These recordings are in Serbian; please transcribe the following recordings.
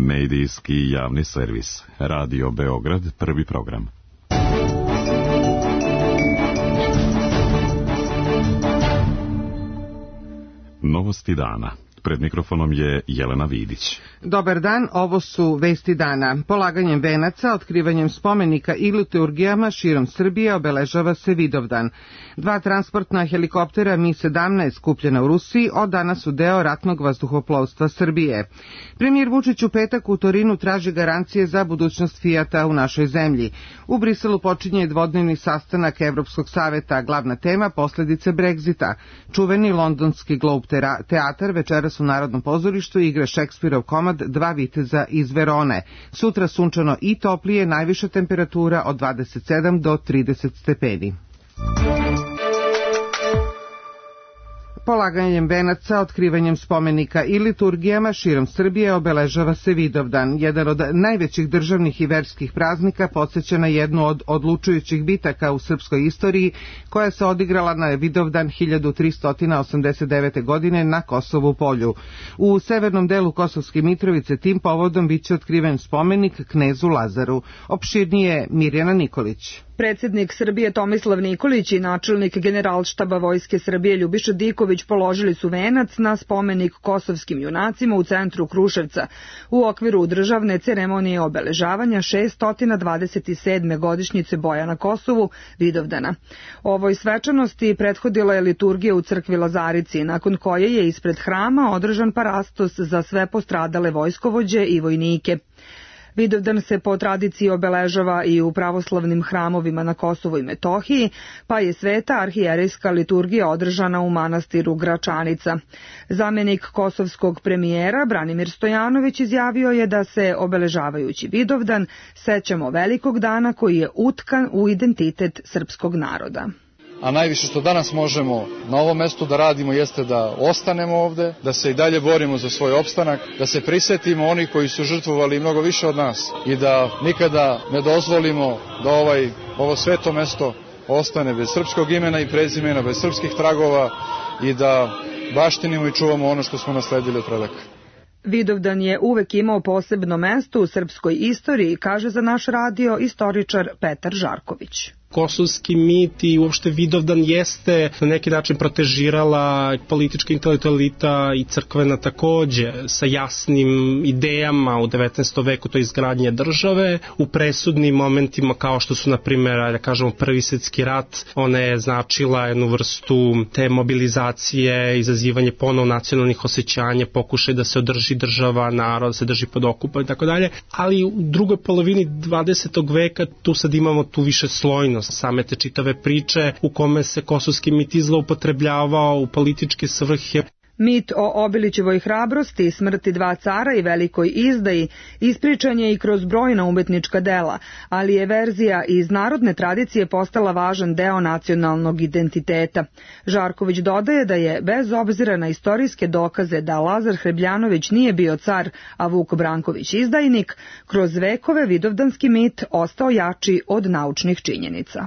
Medijski javni servis. Radio Beograd, prvi program. Novosti dana. Pred mikrofonom je Jelena Vidić. Dobar dan, ovo su vesti dana. Polaganjem venaca, otkrivanjem spomenika i liturgijama širom Srbije obeležava se Vidovdan. 2 transportna helikoptera Mi-17 kupljena u Rusiji od danas su deo ratnog vazduhoplovstva Srbije. Premijer Vučić u petak u Torinu traži garancije za budućnost Fijata u našoj zemlji. U Briselu počinje dvodnevni sastanak Evropskog saveta, glavna tema posljedice Brexita. Čuveni londonski Globe teatar večeras u Narodnom pozorištu igra Šekspirov komad Dva viteza iz Verone. Sutra sunčano i toplije, najviša temperatura od 27 do 30 stepeni. Polaganjem venaca, otkrivanjem spomenika i liturgijama širom Srbije obeležava se Vidovdan. Jedan od najvećih državnih i verskih praznika podsjeća na jednu od odlučujućih bitaka u srpskoj istoriji koja se odigrala na Vidovdan 1389. godine na Kosovu polju. U severnom delu Kosovske Mitrovice tim povodom biće otkriven spomenik knezu Lazaru. Opširnije Mirjana Nikolić. Predsjednik Srbije Tomislav Nikolić i načelnik Generalštaba Vojske Srbije Ljubiša Diković položili su venac na spomenik kosovskim junacima u centru Kruševca u okviru državne ceremonije obeležavanja 627. godišnjice boja na Kosovu, Vidovdana. Ovoj svečanosti prethodila je liturgija u crkvi Lazarici, nakon koje je ispred hrama održan parastos za sve postradale vojskovođe i vojnike. Vidovdan se po tradiciji obeležava i u pravoslavnim hramovima na Kosovu i Metohiji, pa je sveta arhijerejska liturgija održana u manastiru Gračanica. Zamenik kosovskog premijera Branimir Stojanović izjavio je da se obeležavajući Vidovdan sećamo velikog dana koji je utkan u identitet srpskog naroda. A najviše što danas možemo na ovom mestu da radimo jeste da ostanemo ovde, da se i dalje borimo za svoj opstanak, da se prisetimo onih koji su žrtvovali mnogo više od nas i da nikada ne dozvolimo da ovo sveto mesto ostane bez srpskog imena i prezimena, bez srpskih tragova i da baštinimo i čuvamo ono što smo nasledili od predaka. Vidovdan je uvek imao posebno mesto u srpskoj istoriji, kaže za naš radio istoričar Petar Žarković. Kosovski mit i uopšte Vidovdan jeste na neki način protežirala politička intelektualita i crkvena takođe sa jasnim idejama u 19. veku, to je izgradnje države. U presudnim momentima kao što su na primjer, da kažemo, Prvi svjetski rat, ona je značila jednu vrstu te mobilizacije, izazivanje ponovo nacionalnih osjećanja, pokušaj da se održi država, narod, se drži pod okupom i tako dalje. Ali u drugoj polovini 20. veka tu sad imamo tu više slojnost same te čitave priče u kome se kosovski mit zloupotrebljavao u političke svrhe. Mit o Obilićevoj hrabrosti i smrti 2 cara i velikoj izdaji ispričan je i kroz brojna umetnička dela, ali je verzija iz narodne tradicije postala važan deo nacionalnog identiteta. Žarković dodaje da je, bez obzira na istorijske dokaze da Lazar Hrebljanović nije bio car, a Vuk Branković izdajnik, kroz vekove vidovdanski mit ostao jači od naučnih činjenica.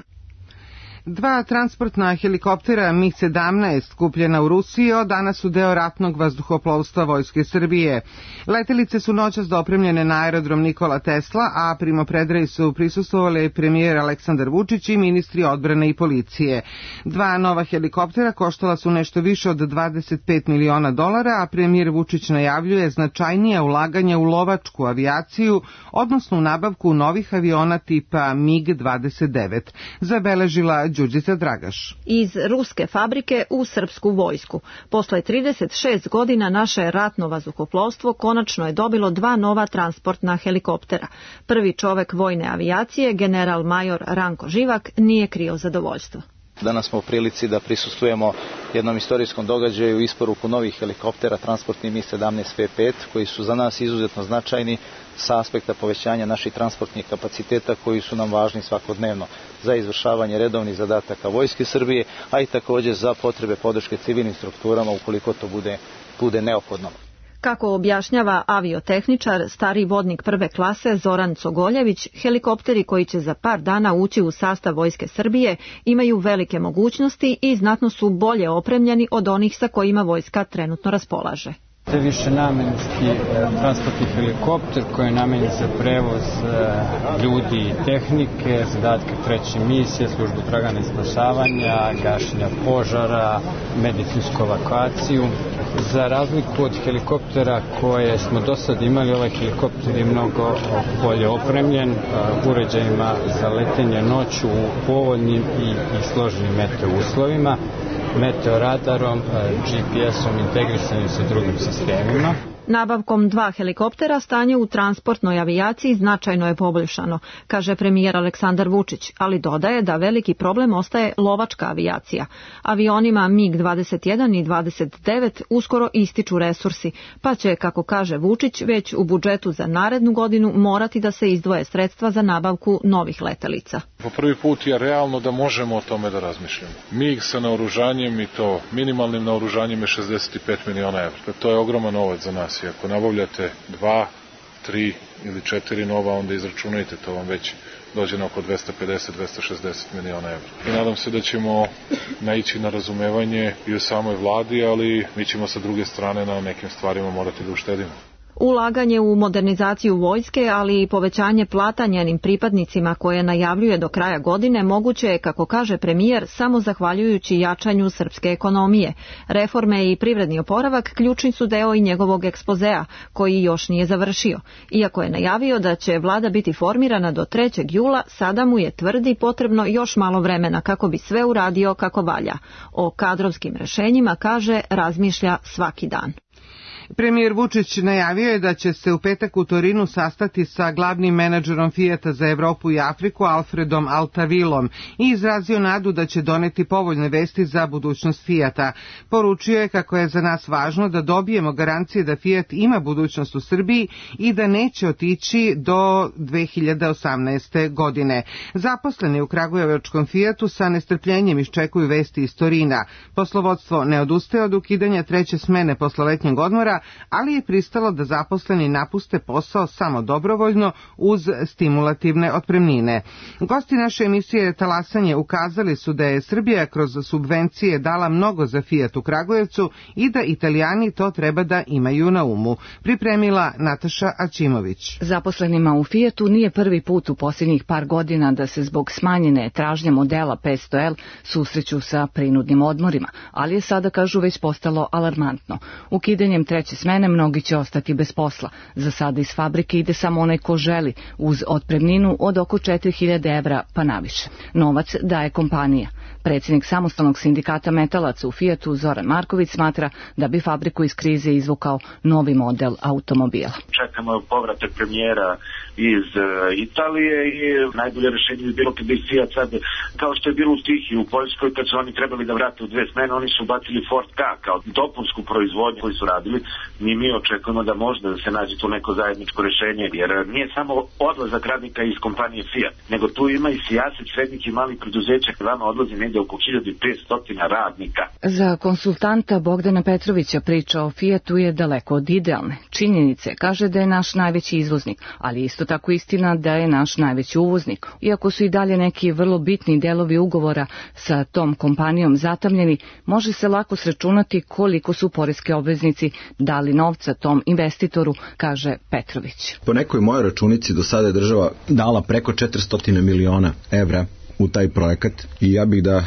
2 transportna helikoptera Mi-17 kupljena u Rusiji od danas su deo ratnog vazduhoplovstva Vojske Srbije. Letelice su noćas dopremljene na aerodrom Nikola Tesla, a primopredaji su prisustvovali premijer Aleksandar Vučić i ministri odbrane i policije. 2 nova helikoptera koštala su nešto više od $25 miliona, a premijer Vučić najavljuje značajnija ulaganja u lovačku avijaciju, odnosno u nabavku novih aviona tipa MiG-29. Zabeležila Đurđica Dragaš. Iz ruske fabrike u srpsku vojsku. Posle 36 godina naše ratno vazduhoplovstvo konačno je dobilo 2 nova transportna helikoptera. Prvi čovek vojne avijacije, general major Ranko Živak, nije krio zadovoljstvo. Danas smo u prilici da prisustvujemo jednom istorijskom događaju, isporuku novih helikoptera, transportni Mi-17 P5, koji su za nas izuzetno značajni sa aspekta povećanja naših transportnih kapaciteta koji su nam važni svakodnevno za izvršavanje redovnih zadataka Vojske Srbije, a i također za potrebe podrške civilnim strukturama ukoliko to bude neophodno. Kako objašnjava aviotehničar, stari vodnik prve klase Zoran Cogoljević, helikopteri koji će za par dana ući u sastav Vojske Srbije imaju velike mogućnosti i znatno su bolje opremljeni od onih sa kojima vojska trenutno raspolaže. To je višenamenski transportni helikopter koji je namenjen za prevoz ljudi i tehnike, zadatke treće misije, službu traganja i spasavanja, gašenja požara, medicinsku evakuaciju. Za razliku od helikoptera koje smo do sad imali, ovaj helikopter je mnogo bolje opremljen uređajima za letenje noću u povoljnim i složenim meteo uslovima, meteoradarom, GPS-om integrisanim sa drugim sistemima. Nabavkom 2 helikoptera stanje u transportnoj avijaciji značajno je poboljšano, kaže premijer Aleksandar Vučić, ali dodaje da veliki problem ostaje lovačka avijacija. Avionima MiG-21 i 29 uskoro ističu resursi, pa će, kako kaže Vučić, već u budžetu za narednu godinu morati da se izdvoje sredstva za nabavku novih letelica. Po prvi put je realno da možemo o tome da razmišljamo. MiG sa naoružanjem i to minimalnim naoružanjem je 65 miliona evra. To je ogroman novac za nas. I ako nabavljate 2, 3 ili 4 nova, onda izračunajte, to vam već dođe na oko 250-260 miliona evra. I nadam se da ćemo naići na razumevanje i u samoj vladi, ali mi ćemo sa druge strane na nekim stvarima morati da uštedimo. Ulaganje u modernizaciju vojske, ali i povećanje plata njenim pripadnicima koje najavljuje do kraja godine moguće je, kako kaže premijer, samo zahvaljujući jačanju srpske ekonomije. Reforme i privredni oporavak ključni su deo i njegovog ekspozea, koji još nije završio. Iako je najavio da će vlada biti formirana do 3. jula, sada mu je, tvrdi, potrebno još malo vremena kako bi sve uradio kako valja. O kadrovskim rešenjima, kaže, razmišlja svaki dan. Premijer Vučić najavio je da će se u petak u Torinu sastati sa glavnim menadžerom Fijata za Evropu i Afriku Alfredom Altavilom i izrazio nadu da će doneti povoljne vesti za budućnost Fijata. Poručio je kako je za nas važno da dobijemo garancije da Fijat ima budućnost u Srbiji i da neće otići do 2018. godine. Zaposleni u kragujevačkom Fijatu sa nestrpljenjem iščekuju vesti iz Torina. Poslovodstvo ne odustaje od ukidanja 3. smene posle letnjeg odmora, ali je pristalo da zaposleni napuste posao samo dobrovoljno uz stimulativne otpremnine. Gosti naše emisije Talasanje ukazali su da je Srbija kroz subvencije dala mnogo za Fijat u Kragujevcu i da Italijani to treba da imaju na umu. Pripremila Nataša Aćimović. Zaposlenima u Fijatu nije prvi put u posljednjih par godina da se zbog smanjene tražnje modela 500L susreću sa prinudnim odmorima, ali je sada, kažu, već postalo alarmantno. Ukidanjem 3. smene mnogi će ostati bez posla. Za sada iz fabrike ide samo onaj ko želi, uz otpremninu od oko 4.000 evra pa naviše. Novac daje kompanija. Predsjednik samostalnog sindikata metalaca u Fijatu Zoran Marković smatra da bi fabriku iz krize izvukao novi model automobila. Čekamo povratak premijera iz Italije i najbolje rješenje bi bilo kad bi Fiat sad, kao što je bilo u Tihiji u Poljskoj, kad su oni trebali da vrate u 2 smene, oni su bacili Ford K kao dopunsku proizvodnju koju su radili. Mi očekujemo da možda da se nađe tu neko zajedničko rješenje, jer nije samo odlazak radnika iz kompanije Fiat, nego tu ima i sijaset srednjih i malih preduzeća, vama odlazi negdje oko 1500 radnika. Za konsultanta Bogdana Petrovića priča o Fijatu je daleko od idealne. Činjenice, kaže da je naš najveći izvoznik, ali isto tako istina da je naš najveći uvoznik. Iako su i dalje neki vrlo bitni delovi ugovora sa tom kompanijom zatamljeni, može se lako sračunati koliko su poreski obveznici dali novca tom investitoru, kaže Petrović. Po nekoj mojoj računici do sada je država dala preko 400 miliona evra u taj projekat i ja bih da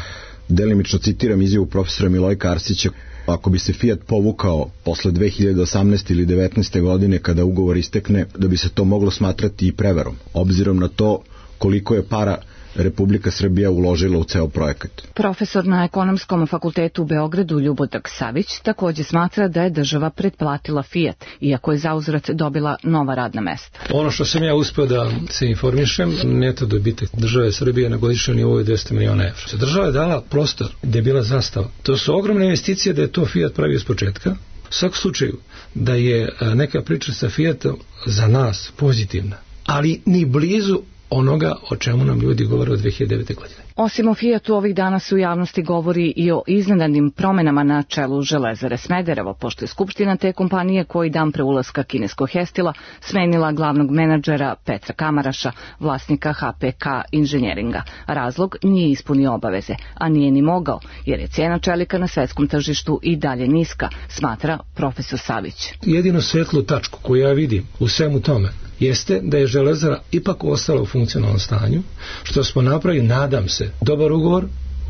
delimično citiram izjavu profesora Milojka Arsića. Ako bi se Fiat povukao posle 2018. ili 2019. godine kada ugovor istekne, da bi se to moglo smatrati i prevarom, obzirom na to koliko je para Republika Srbija uložila u ceo projekat. Profesor na Ekonomskom fakultetu u Beogradu Ljubodrag Savić također smatra da je država pretplatila Fiat, iako je zauzvrat dobila nova radna mesta. Ono što sam ja uspeo da se informišem, neto dobitak države Srbije na godišnjem nivou je 200 miliona evra. Država je dala prostor gde je bila zastava. To su ogromne investicije da je to Fiat pravio iz početka. U svakom slučaju da je neka priča sa Fiatom za nas pozitivna, ali ni blizu onoga o čemu nam ljudi govore od 2009. godine. Osim o Fijatu, ovih dana se u javnosti govori i o iznenadnim promenama na čelu Železare Smederevo, pošto je skupština te kompanije koji dan pre ulaska kineskog Hestila smenila glavnog menadžera Petra Kamaraša, vlasnika HPK inženjeringa. Razlog nije ispunio obaveze, a nije ni mogao, jer je cijena čelika na svetskom tržištu i dalje niska, smatra profesor Savić. Jedino svetlu tačku koju ja vidim u svemu tome jeste da je Železara ipak ostala u funkcionalnom stanju, što smo napravili, nadam se, dobar ugovor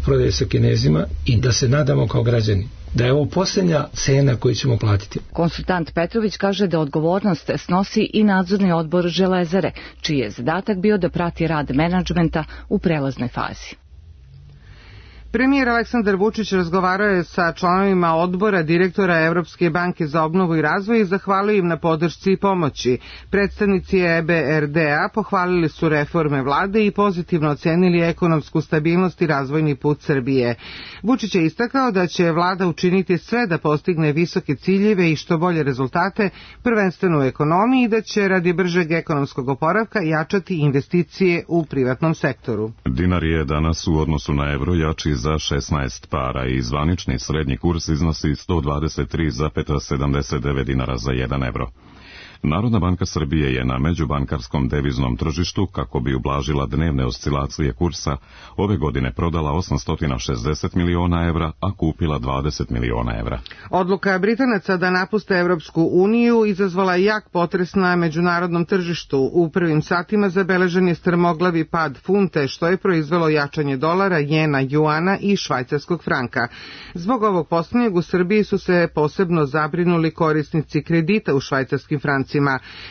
prodaje sa Kinezima i da se nadamo kao građani da je ovo posljednja cena koju ćemo platiti. Konsultant Petrović kaže da odgovornost snosi i nadzorni odbor Železare, čiji je zadatak bio da prati rad menadžmenta u prelaznoj fazi. Premijer Aleksandar Vučić razgovarao je sa članovima odbora direktora Evropske banke za obnovu i razvoj i zahvalio im na podršci i pomoći. Predstavnici EBRD-a pohvalili su reforme vlade i pozitivno ocenili ekonomsku stabilnost i razvojni put Srbije. Vučić je istakao da će vlada učiniti sve da postigne visoke ciljeve i što bolje rezultate, prvenstveno u ekonomiji, i da će radi bržeg ekonomskog oporavka jačati investicije u privatnom sektoru. Dinar je danas u odnosu na evro jači za 16 para i zvanični srednji kurs iznosi 123,79 dinara za 1 evro. Narodna banka Srbije je na međubankarskom deviznom tržištu, kako bi ublažila dnevne oscilacije kursa, ove godine prodala 860 miliona evra, a kupila 20 miliona evra. Odluka Britanaca da napuste Evropsku uniju izazvala jak potres na međunarodnom tržištu. U prvim satima zabeležen je strmoglavi pad funte, što je proizvelo jačanje dolara, jena, juana i švajcarskog franka. Zbog ovog posljednjeg u Srbiji su se posebno zabrinuli korisnici kredita u švajcarskim francima.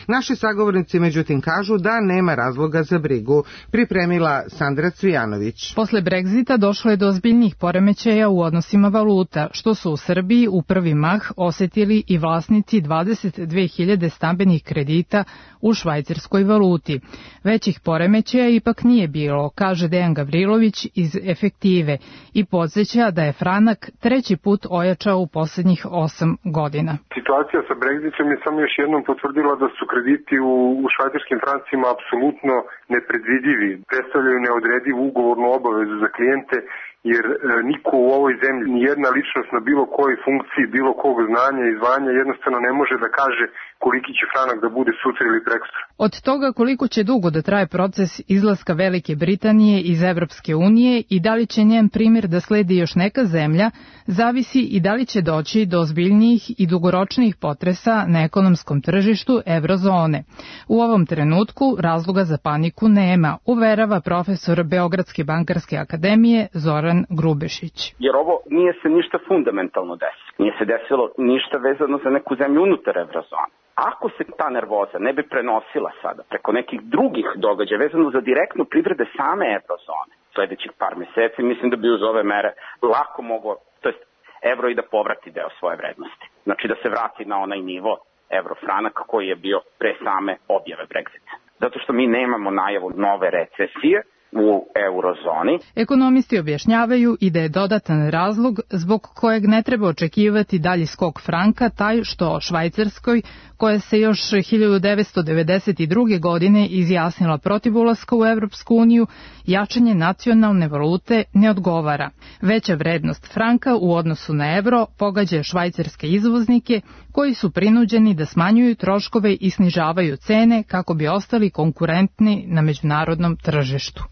Naši sagovornici međutim kažu da nema razloga za brigu. Pripremila Sandra Cvijanović. Posle Brexita došlo je do ozbiljnih poremećaja u odnosima valuta, što su u Srbiji u prvi mah osetili i vlasnici 22.000 stambenih kredita u švajcarskoj valuti. Većih poremećaja ipak nije bilo, kaže Dejan Gavrilović iz Efektive i podsjeća da je franak treći put ojačao u posljednjih 8 godina. Situacija sa Brexitom je samo još jednom potvrdila da su krediti u švajcarskim francima apsolutno nepredvidivi. Predstavljaju neodredivu ugovornu obavezu za klijente, jer niko u ovoj zemlji, ni jedna ličnost na bilo kojoj funkciji, bilo kog znanja i zvanja jednostavno ne može da kaže koliki će franak da bude sutra ili prekosutra. Od toga koliko će dugo da traje proces izlaska Velike Britanije iz Evropske unije i da li će njen primjer da sledi još neka zemlja, zavisi i da li će doći do ozbiljnijih i dugoročnijih potresa na ekonomskom tržištu eurozone. U ovom trenutku razloga za paniku nema, uverava profesor Beogradske bankarske akademije Zoran Grubešić. Jer ovo nije se ništa fundamentalno desilo. Nije se desilo ništa vezano za neku zemlju unutar eurozone. Ako se ta nervoza ne bi prenosila sada preko nekih drugih događaja vezano za direktnu privrede same eurozone sledećih par meseci, mislim da bi uz ove mere lako moglo, to jest evro i da povrati deo svoje vrednosti. Znači da se vrati na onaj nivo evrofranak koji je bio pre same objave Brexita. Zato što mi nemamo najavu nove recesije u eurozoni. Ekonomisti objašnjavaju i da je dodatan razlog zbog kojeg ne treba očekivati dalji skok franka taj što Švajcarskoj, koja se još 1992. godine izjasnila protiv ulaska u Evropsku uniju, jačanje nacionalne valute ne odgovara. Veća vrednost franka u odnosu na evro pogađa švajcarske izvoznike koji su prinuđeni da smanjuju troškove i snižavaju cene kako bi ostali konkurentni na međunarodnom tržištu.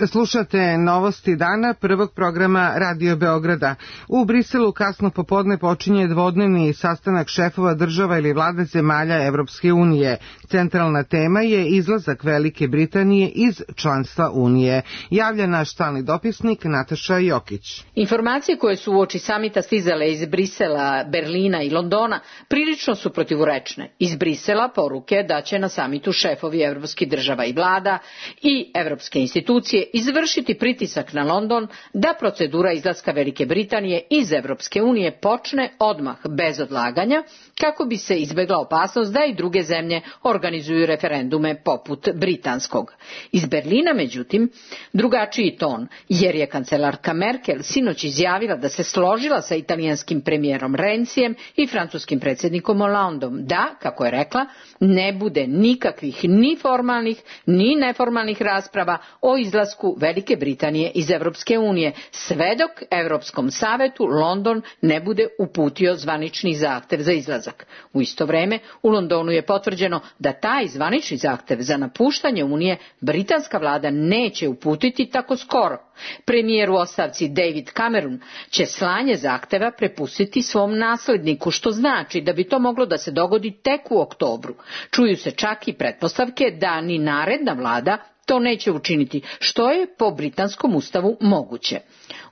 Slušate novosti dana prvog programa Radio Beograda. U Briselu kasno popodne počinje dvodnevni sastanak šefova država ili vlade zemalja Evropske unije. Centralna tema je izlazak Velike Britanije iz članstva Unije. Javlja naš stalni dopisnik Nataša Jokić. Informacije koje su uoči samita stizale iz Brisela, Berlina i Londona prilično su protivurečne. Iz Brisela poruke da će na samitu šefovi evropskih država i vlada i evropske institucije izvršiti pritisak na London da procedura izlaska Velike Britanije iz Evropske unije počne odmah bez odlaganja, kako bi se izbegla opasnost da i druge zemlje organizuju referendume poput britanskog. Iz Berlina, međutim, drugačiji ton, jer je kancelarka Merkel sinoć izjavila da se složila sa italijanskim premijerom Renzijem i francuskim predsjednikom Hollandom da, kako je rekla, ne bude nikakvih ni formalnih ni neformalnih rasprava o izlasku Velike Britanije iz Evropske unije, sve dok Europskom savetu London ne bude uputio zvanični zahtev za izlazak. U isto vreme u Londonu je potvrđeno da taj zvanični zahtev za napuštanje Unije britanska vlada neće uputiti tako skoro. Premijer u ostavci David Cameron će slanje zahteva prepustiti svom nasledniku, što znači da bi to moglo da se dogodi tek u oktobru. Čuju se čak i pretpostavke da ni naredna vlada to neće učiniti, što je po britanskom ustavu moguće.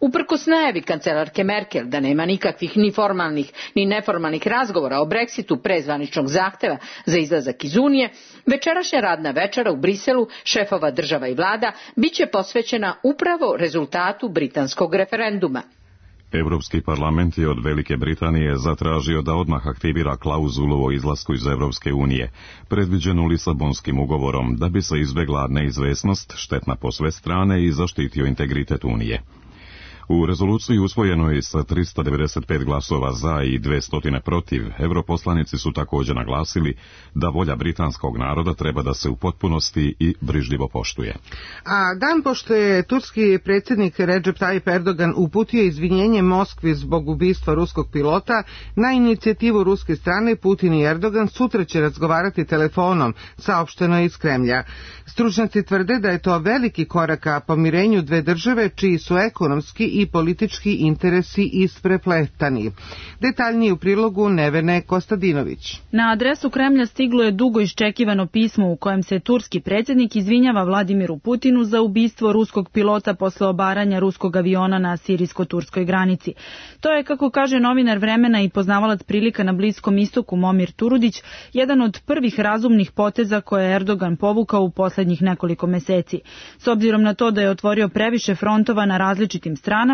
Uprkos najavi kancelarke Merkel da nema nikakvih ni formalnih ni neformalnih razgovora o Brexitu pre zvaničnog zahteva za izlazak iz Unije, večerašnja radna večera u Briselu šefova država i vlada biće posvećena upravo rezultatu britanskog referenduma. Europski parlament je od Velike Britanije zatražio da odmah aktivira klauzulu o izlasku iz Evropske unije, predviđenu Lisabonskim ugovorom, da bi se izbjegla neizvesnost, štetna po sve strane i zaštitio integritet Unije. U rezoluciji usvojenoj sa 395 glasova za i 200 protiv, europoslanici su također naglasili da volja britanskog naroda treba da se u potpunosti i brižljivo poštuje. A dan pošto je turski predsjednik Recep Tayyip Erdogan uputio izvinjenje Moskvi zbog ubistva ruskog pilota, na inicijativu ruske strane Putin i Erdogan sutra će razgovarati telefonom, saopšteno je iz Kremlja. Stručnjaci tvrde da je to veliki korak ka pomirenju dve države čiji su ekonomski i politički interesi isprepletani. Detaljnije u prilogu Nevene Kostadinović. Na adresu Kremlja stiglo je dugo iščekivano pismo u kojem se turski predsjednik izvinjava Vladimiru Putinu za ubistvo ruskog pilota posle obaranja ruskog aviona na sirijsko-turskoj granici. To je, kako kaže novinar Vremena i poznavalac prilika na Bliskom istoku Momir Turudić, jedan od prvih razumnih poteza koje je Erdogan povukao u posljednjih nekoliko meseci. S obzirom na to da je otvorio previše frontova na različitim stranama,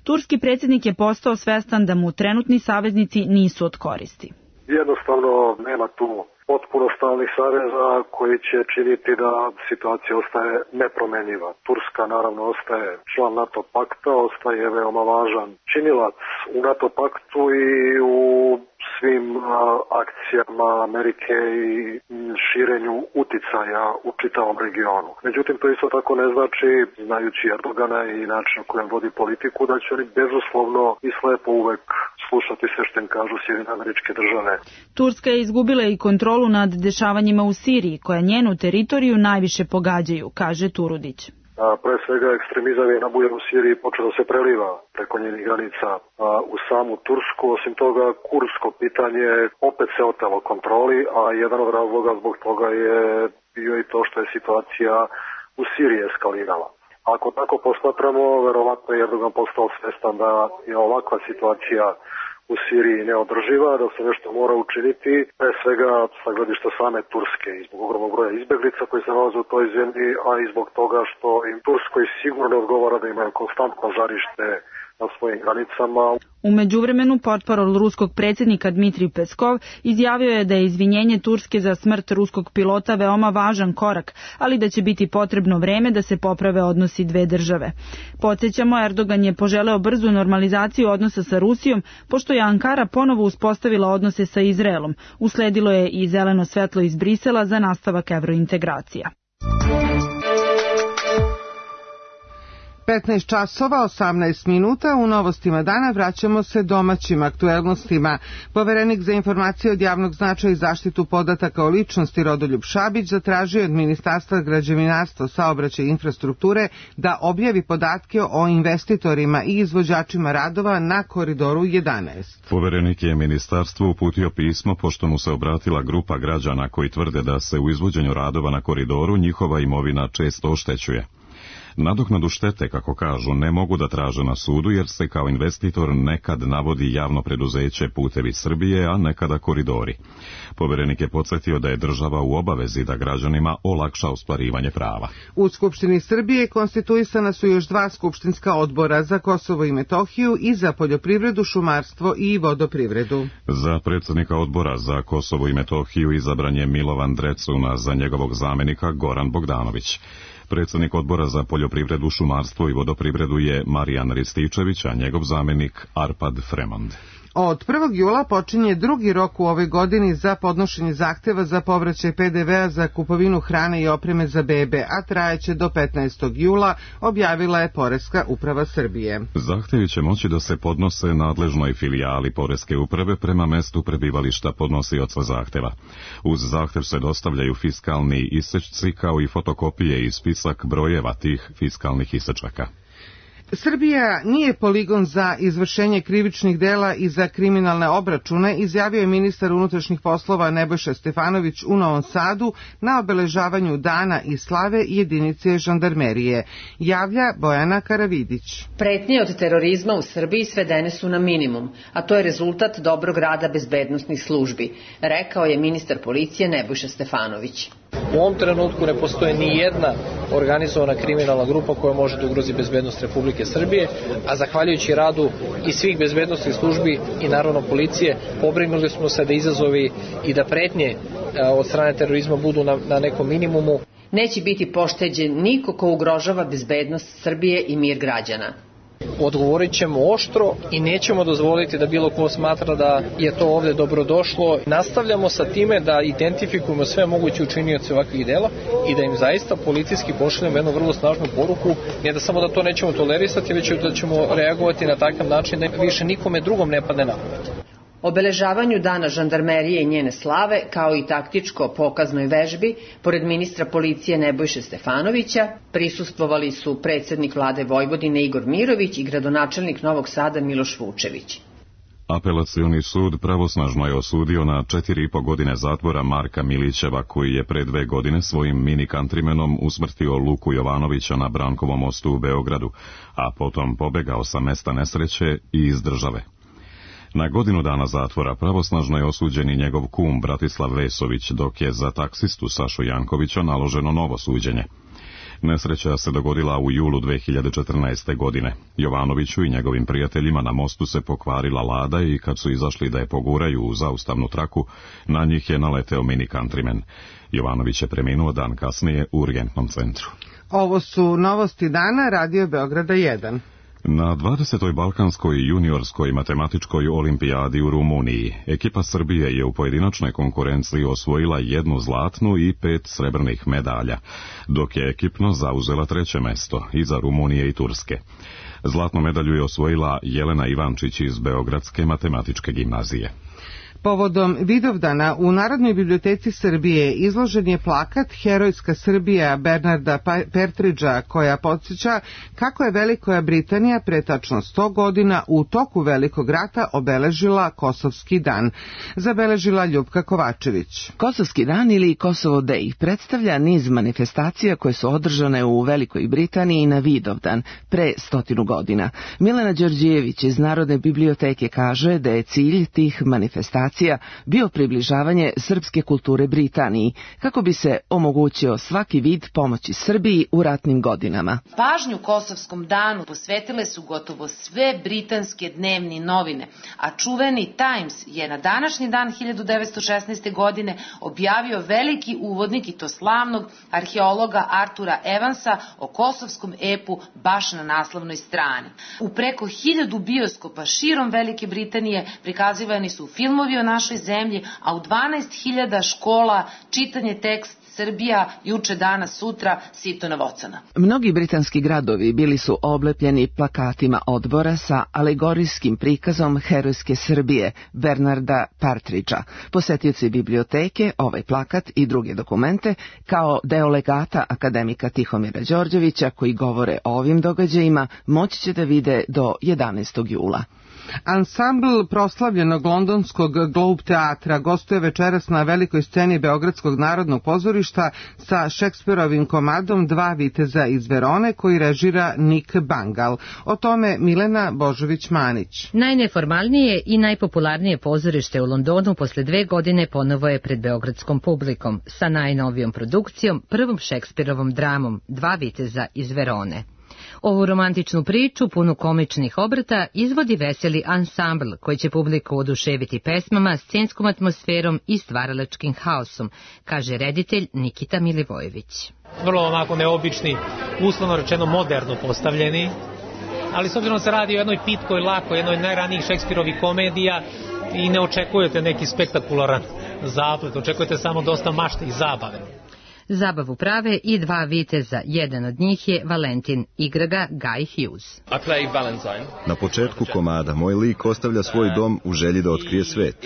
turski predsjednik je postao svestan da mu trenutni saveznici nisu od koristi. Jednostavno nema tu potpuno stalnih saveza koji će činiti da situacija ostaje nepromenjiva. Turska naravno ostaje član NATO pakta, ostaje veoma važan činilac u NATO paktu i u svim akcijama Amerike i širenju uticaja u čitavom regionu. Međutim, to isto tako ne znači, znajući Erdogana i način na kojem vodi politiku, da će oni bezuslovno i slepo uvek slušati sve što im kažu Sjedinjene Američke Države. Turska je izgubila i kontrolu nad dešavanjima u Siriji, koja njenu teritoriju najviše pogađaju, kaže Turudić. Pre svega ekstremizam je nabujan u Siriji počeo da se preliva preko njenih granica u samu Tursku. Osim toga, kurdsko pitanje opet se otelo kontroli, a jedan od razloga zbog toga je bio i to što je situacija u Siriji eskalirala. Ako tako posmatramo, verovatno je Erdogan postao svestan da je ovakva situacija u Siriji neodrživa, da se nešto mora učiniti, pre svega sa gledišta same Turske i zbog ogromnog broja izbeglica koji se nalaze u toj zemlji, a i zbog toga što im Turskoj sigurno ne odgovara da imaju konstantno žarište na svojim granicama. U međuvremenu portparol ruskog predsjednika Dmitrij Peskov izjavio je da je izvinjenje Turske za smrt ruskog pilota veoma važan korak, ali da će biti potrebno vreme da se poprave odnosi dve države. Podsjećamo, Erdogan je poželeo brzu normalizaciju odnosa sa Rusijom, pošto je Ankara ponovo uspostavila odnose sa Izraelom. Usledilo je i zeleno svetlo iz Brisela za nastavak evrointegracija. 15 časova, 18 minuta, u novostima dana vraćamo se domaćim aktuelnostima. Poverenik za informacije od javnog značaja i zaštitu podataka o ličnosti Rodoljub Šabić zatražio od Ministarstva građevinarstva, saobraćaja i infrastrukture da objavi podatke o investitorima i izvođačima radova na Koridoru 11. Poverenik je ministarstvu uputio pismo pošto mu se obratila grupa građana koji tvrde da se u izvođenju radova na koridoru njihova imovina često oštećuje. Nadoknadu štete, kako kažu, ne mogu da traže na sudu jer se kao investitor nekad navodi javno preduzeće Putevi Srbije, a nekada Koridori. Poverenik je podsjetio da je država u obavezi da građanima olakša ostvarivanje prava. U Skupštini Srbije konstituisana su još 2 skupštinska odbora za Kosovo i Metohiju i za poljoprivredu, šumarstvo i vodoprivredu. Za predsjednika odbora za Kosovo i Metohiju izabran je Milovan Drecuna, za njegovog zamenika Goran Bogdanović. Predsjednik odbora za poljoprivredu, šumarstvo i vodoprivredu je Marijan Rističević, a njegov zamenik Arpad Fremond. Od 1. jula počinje drugi rok u ovoj godini za podnošenje zahteva za povraćaj PDV-a za kupovinu hrane i opreme za bebe, a trajeće do 15. jula, objavila je Poreska uprava Srbije. Zahtevi će moći da se podnose nadležnoj filijali Poreske uprave prema mestu prebivališta podnosioca zahteva. Uz zahtev se dostavljaju fiskalni isečci kao i fotokopije i spisak brojeva tih fiskalnih isečaka. Srbija nije poligon za izvršenje krivičnih dela i za kriminalne obračune, izjavio je ministar unutrašnjih poslova Nebojša Stefanović u Novom Sadu na obeležavanju Dana i slave jedinice žandarmerije. Javlja Bojana Karavidić. Pretnje od terorizma u Srbiji svedene su na minimum, a to je rezultat dobrog rada bezbednosnih službi, rekao je ministar policije Nebojša Stefanović. U ovom trenutku ne postoje ni jedna organizovana kriminalna grupa koja može da ugrozi bezbednost Republike Srbije, a zahvaljujući radu i svih bezbednosnih službi i naravno policije, pobrinuli smo se da izazovi i da pretnje od strane terorizma budu na nekom minimumu. Neće biti pošteđen niko ko ugrožava bezbednost Srbije i mir građana. Odgovorit ćemo oštro i nećemo dozvoliti da bilo ko smatra da je to ovde dobrodošlo. Nastavljamo sa time da identifikujemo sve moguće učinioce ovakvih dela i da im zaista policijski pošaljemo jednu vrlo snažnu poruku, ne da samo da to nećemo tolerisati, već da ćemo reagovati na takav način da više nikome drugom ne padne na pamet. Obeležavanju Dana žandarmerije i njene slave, kao i taktičko pokaznoj vežbi, pored ministra policije Nebojše Stefanovića, prisustvovali su predsjednik vlade Vojvodine Igor Mirović i gradonačelnik Novog Sada Miloš Vučević. Apelacioni sud pravosnažno je osudio na 4,5 godine zatvora Marka Milićeva, koji je pre 2 godine svojim mini kantrimenom usmrtio Luku Jovanovića na Brankovom mostu u Beogradu, a potom pobegao sa mesta nesreće i iz države. Na godinu dana zatvora pravosnažno je osuđen i njegov kum Bratislav Vesović, dok je za taksistu Sašu Jankovića naloženo novo suđenje. Nesreća se dogodila u julu 2014. godine. Jovanoviću i njegovim prijateljima na mostu se pokvarila lada i kad su izašli da je poguraju u zaustavnu traku, na njih je naleteo mini kantrimen. Jovanović je preminuo dan kasnije u urgentnom centru. Ovo su novosti dana Radio Beograda 1. Na 20. Balkanskoj juniorskoj matematičkoj olimpijadi u Rumuniji ekipa Srbije je u pojedinačnoj konkurenciji osvojila 1 zlatnu i 5 srebrnih medalja, dok je ekipno zauzela 3. mesto iza Rumunije i Turske. Zlatnu medalju je osvojila Jelena Ivančić iz Beogradske matematičke gimnazije. Povodom Vidovdana u Narodnoj biblioteci Srbije izložen je plakat Herojska Srbija Bernarda Partridgea, koja podsjeća kako je Velika Britanija pre tačno 100 godina u toku Velikog rata obeležila Kosovski dan. Zabeležila Ljupka Kovačević. Kosovski dan ili Kosovo Day predstavlja niz manifestacija koje su održane u Velikoj Britaniji na Vidovdan pre 100 godina. Milena Đorđijević iz Narodne biblioteke kaže da je cilj tih manifestacija bio približavanje srpske kulture Britaniji, kako bi se omogućio svaki vid pomoći Srbiji u ratnim godinama. Pažnju Kosovskom danu posvetile su gotovo sve britanske dnevne novine, a čuveni Times je na današnji dan 1916. godine objavio veliki uvodnik, i to slavnog arheologa Artura Evansa, o kosovskom epu baš na naslovnoj strani. U preko 1000 bioskopa širom Velike Britanije prikazivani su filmovi o našoj zemlji, a u 12.000 škola čitanje tekst Srbija, juče, danas, sutra, sito na vocana. Mnogi britanski gradovi bili su oblepljeni plakatima odbora sa alegorijskim prikazom Herojske Srbije Bernarda Partridgea. Posetioci biblioteke ovaj plakat i druge dokumente kao deo legata akademika Tihomira Đorđevića koji govore o ovim događajima moći će da vide do 11. jula. Ansambl proslavljenog londonskog Globe teatra gostuje večeras na velikoj sceni Beogradskog narodnog pozorišta sa Šekspirovim komadom Dva viteza iz Verone koji režira Nick Bangal. O tome Milena Božović-Manić. Najneformalnije i najpopularnije pozorište u Londonu posle 2 godine ponovo je pred beogradskom publikom sa najnovijom produkcijom, prvom Šekspirovom dramom Dva viteza iz Verone. Ovu romantičnu priču, punu komičnih obrata, izvodi veseli ansambl koji će publiku oduševiti pesmama, scenskom atmosferom i stvaralačkim haosom, kaže reditelj Nikita Milivojević. Vrlo onako neobični, uslovno rečeno moderno postavljeni, ali s obzirom se radi o jednoj pitkoj, lakoj, jednoj najranijih Šekspirovih komedija i ne očekujete neki spektakularan zaplet, očekujete samo dosta mašte i zabave. Zabavu prave i dva viteza, jedan od njih je Valentin, igra ga Guy Hughes. Na početku komada moj lik ostavlja svoj dom u želji da otkrije svet.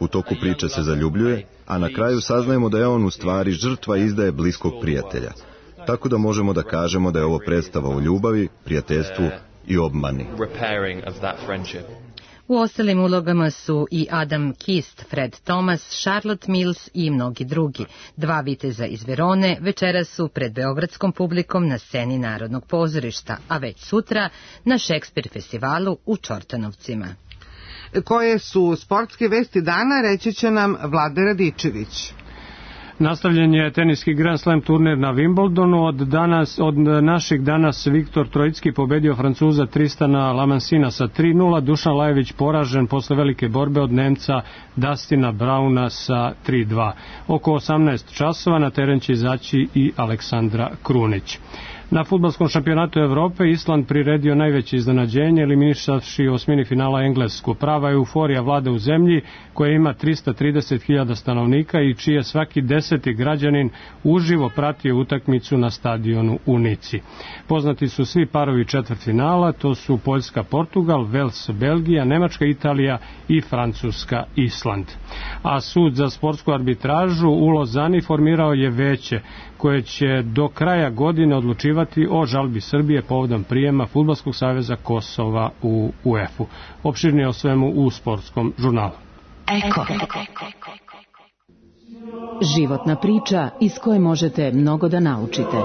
U toku priče se zaljubljuje, a na kraju saznajemo da je on u stvari žrtva izdaje bliskog prijatelja. Tako da možemo da kažemo da je ovo predstava o ljubavi, prijateljstvu i obmani. U ostalim ulogama su i Adam Kist, Fred Thomas, Charlotte Mills i mnogi drugi. Dva viteza iz Verone večeras su pred beogradskom publikom na sceni Narodnog pozorišta, a već sutra na Šekspir festivalu u Čortanovcima. Koje su sportske vesti dana, reći će nam Vlade Radičević. Nastavljen je teniski Grand Slam turnir na Wimbledonu. Od naših danas Viktor Trojicki pobedio Francuza Tristana Lamansina sa 3-0. Dušan Lajević poražen posle velike borbe od Nemca Dustina Brauna sa 3-2. Oko 18 časova na teren će izaći i Aleksandra Krunić. Na fudbalskom šampionatu Evrope Island priredio najveće iznenađenje, eliminišavši u osmini finala Englesku. Prava euforija vlada u zemlji koja ima 330.000 stanovnika i čije svaki 10. građanin uživo pratio utakmicu na stadionu u Nici. Poznati su svi parovi četvrtfinala, to su Poljska Portugal, Vels Belgija, Nemačka Italija i Francuska Island. A sud za sportsku arbitražu u Lozani formirao je veće koje će do kraja godine odlučivati o žalbi Srbije povodom prijema Fudbalskog saveza Kosova u UEFA-u. Opširnije o svemu u sportskom žurnalu. Eko. Životna priča iz koje možete mnogo da naučite.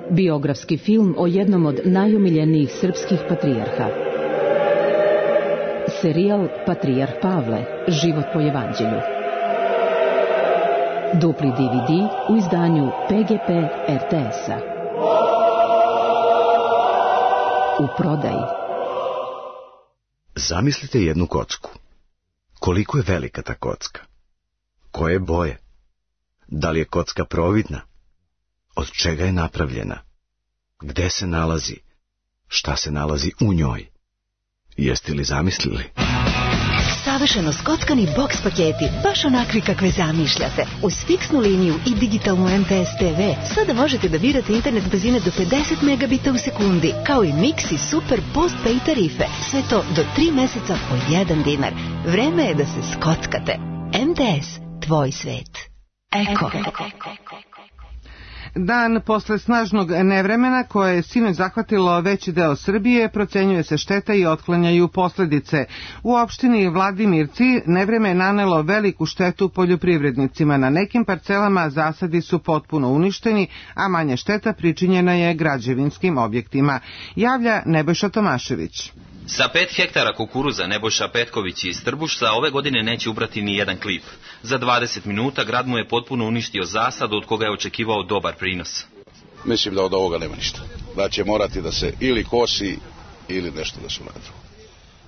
Biografski film o jednom od najomiljenijih srpskih patrijarha. Serijal Patrijarh Pavle, život po evanđelju. Dupli DVD u izdanju PGP RTS-a. U prodaji. Zamislite jednu kocku. Koliko je velika ta kocka? Koje boje? Da li je kocka providna? Od čega je napravljena? Gde se nalazi? Šta se nalazi u njoj? Jeste li zamislili? Savršeno skockani boks paketi, baš onakvi kakve zamišljate. Uz fiksnu liniju i digitalnu MTS TV sada možete da birate internet brzine do 50 megabita u sekundi, kao i mix i super postpaid tarife. Sve to do 3 meseca po 1 dinar. Vreme je da se skockate. MTS, tvoj svet. Eko. Dan posle snažnog nevremena koje je sinoć zahvatilo veći deo Srbije, procenjuje se šteta i otklanjaju posledice. U opštini Vladimirci nevreme je nanelo veliku štetu poljoprivrednicima. Na nekim parcelama zasadi su potpuno uništeni, a manja šteta pričinjena je građevinskim objektima. Javlja Nebojša Tomašević. Sa 5 hektara kukuruza Nebojša Petković iz Trbušca ove godine neće ubrati ni jedan klip. Za 20 minuta grad mu je potpuno uništio zasad od koga je očekivao dobar prinos. Mislim da od ovoga nema ništa. Da će morati da se ili kosi ili nešto da se uradi.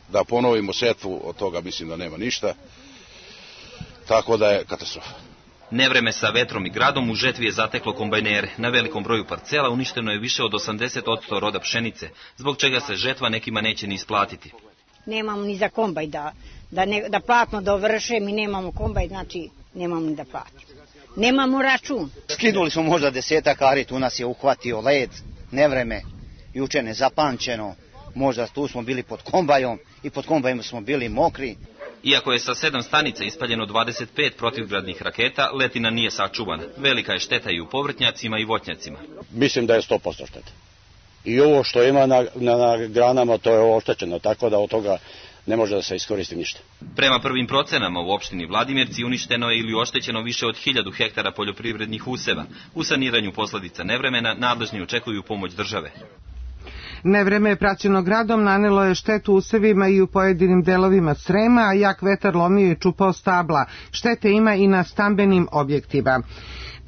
Da ponovimo setvu, od toga mislim da nema ništa. Tako da je katastrofa. Nevreme sa vetrom i gradom u žetvi je zateklo kombajnere. Na velikom broju parcela uništeno je više od 80% roda pšenice, zbog čega se žetva nekima neće ni isplatiti. Nemamo ni za kombaj da platno dovršem i nemamo kombaj, znači nemamo ni da platimo. Nemamo račun. Skinuli smo možda 10 ari, tu nas je uhvatio led, nevreme, juče nezapamćeno. Možda tu smo bili pod kombajom i pod kombajom smo bili mokri. Iako je sa 7 stanica ispaljeno 25 protivgradnih raketa, letina nije sačuvana. Velika je šteta i u povrtnjacima i voćnjacima. Mislim da je 100% šteta. I ovo što ima na granama, to je oštećeno, tako da od toga ne može da se iskoristi ništa. Prema prvim procenama u opštini Vladimirci uništeno je ili oštećeno više od 1000 hektara poljoprivrednih useva. U saniranju posledica nevremena nadležni očekuju pomoć države. Nevreme praćeno gradom nanelo je štetu usevima i u pojedinim delovima Srema, a jak vetar lomio i čupao stabla. Štete ima i na stambenim objektima.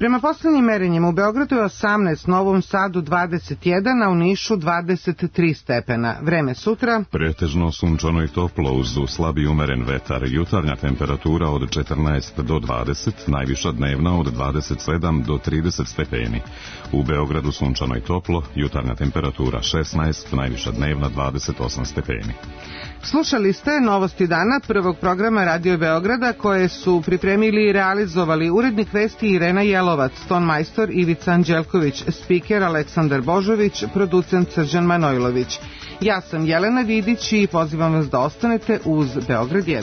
Prema poslednjim merenjima u Beogradu je 18, Novom Sadu 21, a u Nišu 23 stepena. Vreme sutra? Pretežno sunčano i toplo uz slabi umeren vetar. Jutarnja temperatura od 14 do 20, najviša dnevna od 27 do 30 stepeni. U Beogradu sunčano i toplo, jutarnja temperatura 16, najviša dnevna 28 stepeni. Slušali ste Novosti dana prvog programa Radio Beograda koje su pripremili i realizovali urednik vesti Irena Jelovac, tonmajstor Ivica Anđelković, spiker Aleksandar Božović, producent Srđan Manojlović. Ja sam Jelena Vidić i pozivam vas da ostanete uz Beograd 1.